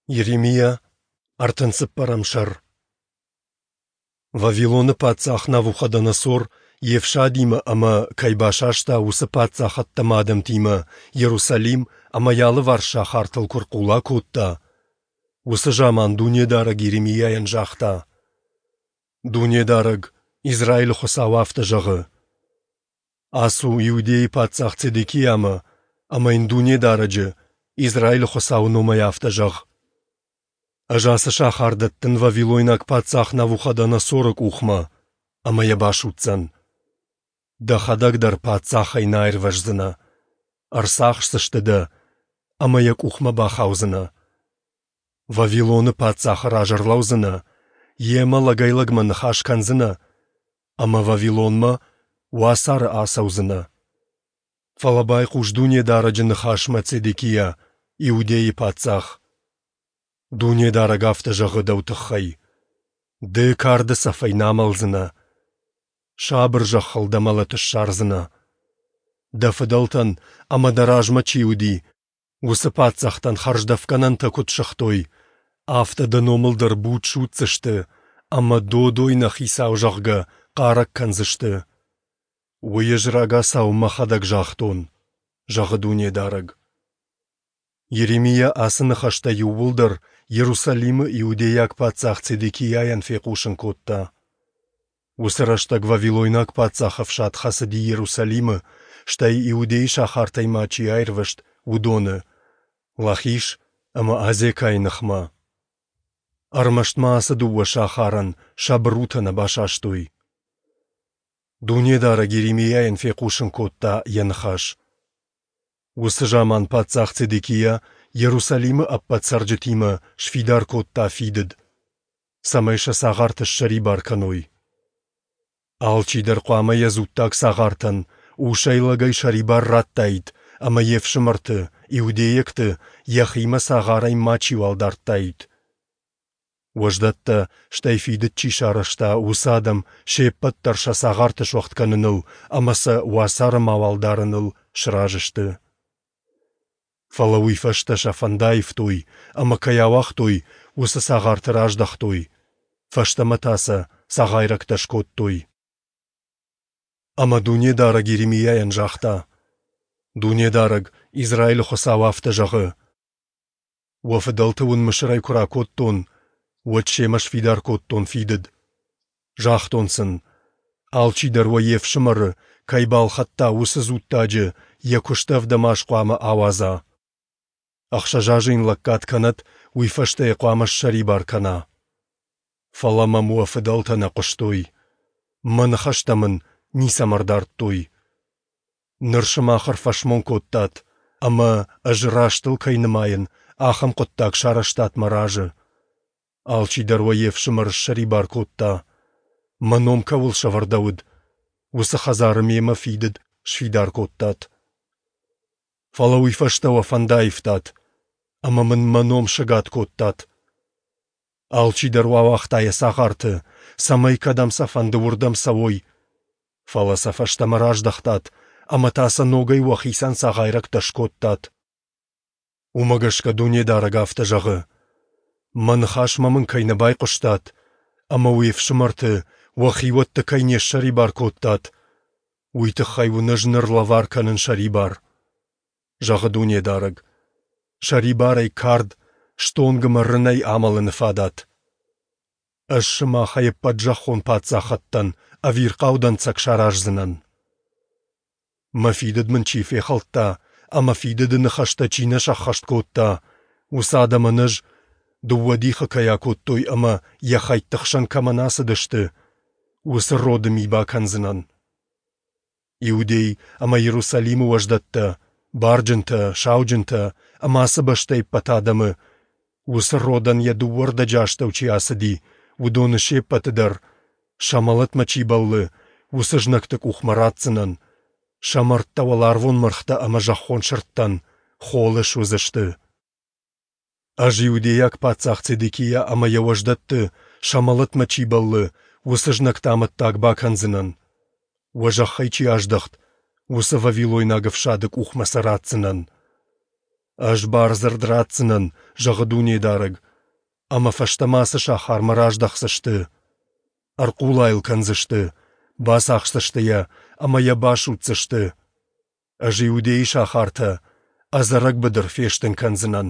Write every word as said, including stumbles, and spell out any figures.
Йеремиа, ӕртын цыппӕрӕм сӕр. Вавилоны паддзах Навуходоносор йе фсадимӕ ӕмӕ, кӕй басаста, уыцы паддзахӕдтӕ ӕмӕ адӕмтимӕ Иерусалим ӕмӕ йӕ алыварс сахартыл куы ӕрхъула кодта, уыцы заман Дунедарӕг Йеремиайӕн загъта: Дунедарӕг, Израилы Хуыцау, афтӕ зӕгъы: Ацу Иудейы паддзах Цедекиамӕ ӕмӕ йын Дунедарӕджы, Израилы Хуыцауы номӕй афтӕ зӕгъ: Ӕз ацы сахар дӕттын вавилойнаг паддзах Навуходоносоры къухмӕ, ӕмӕ йӕ басудздзӕн. Дӕхӕдӕг дӕр паддзахӕй нӕ аирвӕздзынӕ, ӕрцахсдзысты дӕ ӕмӕ йӕ къухмӕ бахаудзынӕ. Вавилоны паддзахы раз ӕрлӕудзынӕ, йемӕ лӕгӕй-лӕгмӕ ныхас кӕндзынӕ ӕмӕ Вавилонмӕ уацары ацӕудзынӕ. Фӕлӕ байхъус Дунедарӕджы ныхасмӕ, Цедекиа, Иудейы паддзах. Дунедарӕг афтӕ зӕгъы дӕу тыххӕй: Ды карды цӕфӕй нӕ амӕлдзынӕ, сабыр зӕххыл дӕ мӕлӕт ссардзынӕ. Дӕ фыдӕлтӕн ӕмӕ дӕ размӕ чи уыди, уыцы паддзӕхтӕн хӕрздӕфгӕнӕнтӕ куыд сыгътой, афтӕ дӕ номыл дӕр буд судздзысты ӕмӕ додой нӕ хицау, зӕгъгӕ, хъарӕг кӕндзысты. Уый ӕз рагацау мӕхӕдӕг загътон, зӕгъы Дунедарӕг. Йеремиа ацы ныхӕстӕ иууылдӕр Иерусалимы иудейаг паддзах Цедекиайӕн фехъусын кодта. Уыцы рӕстӕг вавилойнаг паддзахы ӕфсад хӕцыди Иерусалимы, стӕй Иудейы сахартӕй ма чи аирвӕзт, уыдоны, Лахиш ӕмӕ Азекайы ныхмӕ. Ӕрмӕст ма ацы дыууӕ сахарӕн сӕ бырутӕ нӕ басастой. Дунедарӕг Йеремиайӕн фехъусын кодта йӕ ныхас. Уыцы заман паддзах Цедекиа Иерусалимы ӕппӕт цӕрджытимӕ сфидар кодта фидыд, цӕмӕй сӕ цагъарты ссӕрибар кӕной. Алчидӕр хъуамӕ йӕ дзуттаг цагъартӕн усӕй-лӕгӕй сӕрибар радтаид ӕмӕ йе фсымӕрты, иудейӕгты, йӕхимӕ цагъарӕй мачиуал дардтаид. Уӕздӕттӕ, стӕй фидыд чи сарӕзта, уыцы адӕм се ппӕт дӕр сӕ цагъарты суӕгъд кӕныныл ӕмӕ сӕ уацары мауал дарыныл сразы сты. Фӕлӕ уый фӕстӕ сӕ фӕнд аивтой ӕмӕ кӕй ауагътой, уыцы цагъарты раздӕхтой, фӕстӕмӕ та сӕ цагъайрӕгтӕ скодтой. Ӕмӕ Дунедарӕг Йеремиайӕн загъта: Дунедарӕг, Израилы Хуыцау, афтӕ зӕгъы: Уӕ фыдӕлты уын Мысырӕй куы ракодтон, уӕд семӕ сфидар кодтон фидыд. Загътон сын: алчидӕр уӕ йе фсымӕры, кӕй балхӕдта, уыцы дзуттаджы, йӕ куысты ӕвдӕм аз хъуамӕ ауадза. Ӕхсӕз азы йын лӕггад кӕнӕд, уый фӕстӕ йӕ хъуамӕ ссӕрибар кӕна. Фӕлӕ мӕм уӕ фыдӕлтӕ нӕ хъуыстой. Мӕ ныхӕстӕ мын ницӕмӕ ӕрдардтой. Ныр сымах ӕрфӕсмон кодтат, ӕмӕ, ӕз рӕстыл кӕй нымайын, ахӕм хъуыддаг сарӕзтат мӕ разы. Алчидӕр уӕ йе фсымӕры ссӕрибар кодта. Мӕ ном кӕуыл сӕвӕрдӕуыд, уыцы хӕдзары мемӕ фидыд сфидар кодтат. Фӕлӕ уый фӕстӕ уӕ фӕнд аивтат, ӕмӕ мын мӕ ном сӕгад кодтат. Алчидӕр уӕ ауагъта йӕ цагъарты, цӕмӕй кӕдӕм сӕ фӕнды, уырдӕм цӕуой. Фӕлӕ сӕ фӕстӕмӕ раздӕхтат ӕмӕ та сӕ ногӕй уӕхицӕн цагъайрӕгтӕ скодтат. Уымӕ гӕсгӕ Дунедарӕг афтӕ зӕгъы: Мӕ ныхасмӕ мын кӕй нӕ байхъуыстат ӕмӕ уе фсымӕрты, уӕ хиуӕтты кӕй не ссӕрибар кодтат, уый тыххӕй уын ӕз ныр лӕвар кӕнын сӕрибар, зӕгъы Дунедарӕг. Сӕрибарӕй кард, стонг ӕмӕ рынӕй амӕлыны фадат. Ӕз сымахӕй ӕппӕт зӕххон паддзахӕдтӕн ӕвирхъау дӕнцӕг сараздзынӕн. Мӕ фидыд мын чи фехӕлдта ӕмӕ фидыды ныхӕстӕ чи нӕ сӕххӕст кодта, уыцы адӕмӕн ӕз, дыууӕ дихы кӕй акодтой ӕмӕ йӕ хӕйтты хсӕн кӕмӕн ацыдысты, уыцы роды ми бакӕндзынӕн. Иудей ӕмӕ Иерусалимы уӕздӕттӕ, барджынтӕ, сауджынтӕ ӕмӕ ацы бӕстӕйы ӕппӕт адӕмы, уыцы родӕн йӕ дыууӕ рдӕджы астӕу чи ацыди, уыдоны се ппӕты дӕр, сӕ мӕлӕтмӕ чи бӕллы, уыцы знӕгты къухмӕ ратдзынӕн, сӕ мӕрдтӕ уӕларвон мӕргътӕ ӕмӕ зӕххон сырдтӕн холы суыдзысты. Ӕз иудейаг паддзах Цедекиа ӕмӕ йӕ уӕздӕтты, сӕ мӕлӕтмӕ чи бӕллы, уыцы знӕгты амӕттаг бакӕндзынӕн. Уӕ зӕххӕй чи аздӕхт, уыцы вавилойнаг ӕфсады къухмӕ сӕ ратдзынӕн. Ӕз бардзырд ратдзынӕн, зӕгъы Дунедарӕг, ӕмӕ фӕстӕмӕ ацы сахармӕ раздӕхдзысты. Ӕрхъула йыл кӕндзысты, бацахсдзысты йӕ ӕмӕ йӕ басудздзысты. Ӕз Иудейы сахартӕ ӕдзӕрӕг быдыр фестын кӕндзынӕн.